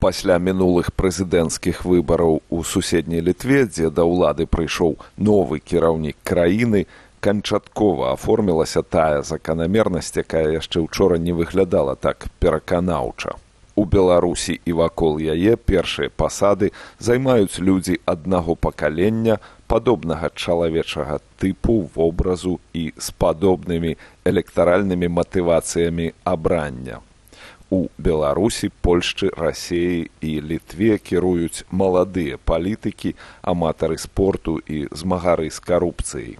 Пасля мінулых прэзідэнцкіх выбараў у суседняй Літве, дзе да ўлады прыйшоў новы кіраўнік краіны, канчаткова аформілася тая заканамернасць, якая яшчэ ўчора не выглядала так пераканаўча. У Беларусі і вакол яе першыя пасады займаюць людзі аднаго пакалення, падобнага чалавечага тыпу, вобразу і з падобнымі электаральнымі матывацыямі абрання. У Беларусі, Польшчы, Расеі і Літве кіруюць маладыя палітыкі, аматары спорту і змагары з карупцыяй.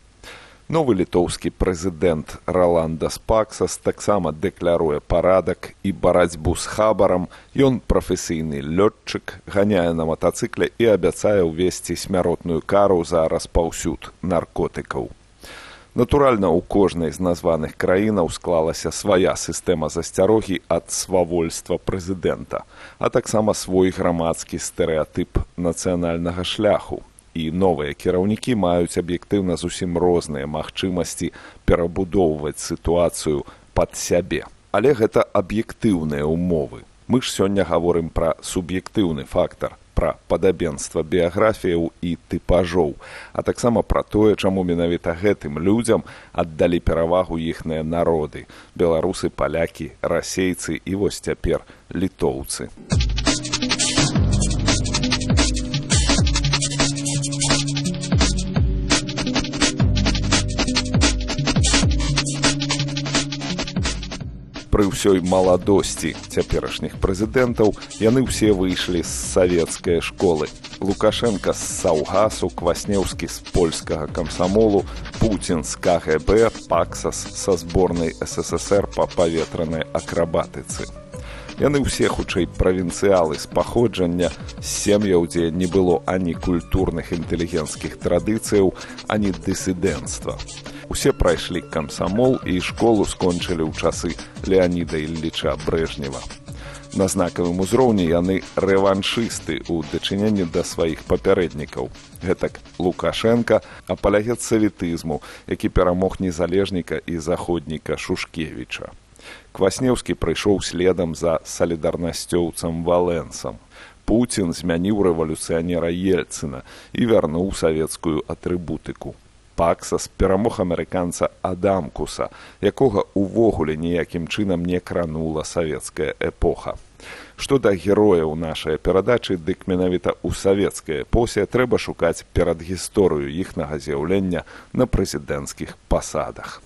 Новы літоўскі прэзідэнт Роландас Паксас таксама дэкляруе парадак і барацьбу з хабарам. Ён прафесійны лётчык, ганяе на матацыкле і абяцае ўвесці смяротную кару за распаўсюд наркотыкаў. Натуральна, у кожнай з названых краінаў склалася свая сістэма засцярогі ад свавольства прэзідэнта, а таксама свой грамадскі стэрэатып нацыянальнага шляху. І новыя кіраўнікі маюць аб'ектыўна зусім розныя магчымасці перабудоўваць сітуацыю пад сябе. Але гэта аб'ектыўныя ўмовы. Мы ж сёння гаворым пра суб'ектыўны фактар, пра падабенства біяграфіяў і тыпажоў, а таксама пра тое, чаму менавіта гэтым людзям аддалі перавагу іхныя народы – беларусы, палякі, расейцы і вось цяпер літоўцы. Пры ўсёй маладосці цяперашніх прэзідэнтаў яны ўсе выйшлі з савецкай школы. Лукашенка з Саўгасу, Кваснеўскі з польскага камсамолу, Пуцін з КГБ, Паксас са зборнай СССР па паветранай акрабатыцы. Яны ўсе хутчэй правінцыялы з паходжання, з сем'яў, дзе не было ані культурных інтэлігенцкіх традыцыяў, ані дысідэнцтва. Усе прайшлі камсамол і школу скончылі ў часы Леаніда Ілліча Брэжнева. На знакавым узроўні яны рэваншысты ў дачыненні да сваіх папярэднікаў. Гэтак Лукашенка апалягет саветызму, які перамог незалежніка і заходніка Шушкевіча. Кваснеўскі прыйшоў следам за салідарнасцёўцам Валенсам. Пуцін змяніў рэвалюцыянера Ельцына і вярнуў савецкую атрыбутыку. Паксас перамог амерыканца Адамкуса, якога ўвогуле ніякім чынам не кранула савецкая эпоха. Што да герояў нашай перадачы, дык менавіта ў савецкай эпосе трэба шукаць перадгісторыю іхнага з'яўлення на прэзідэнцкіх пасадах.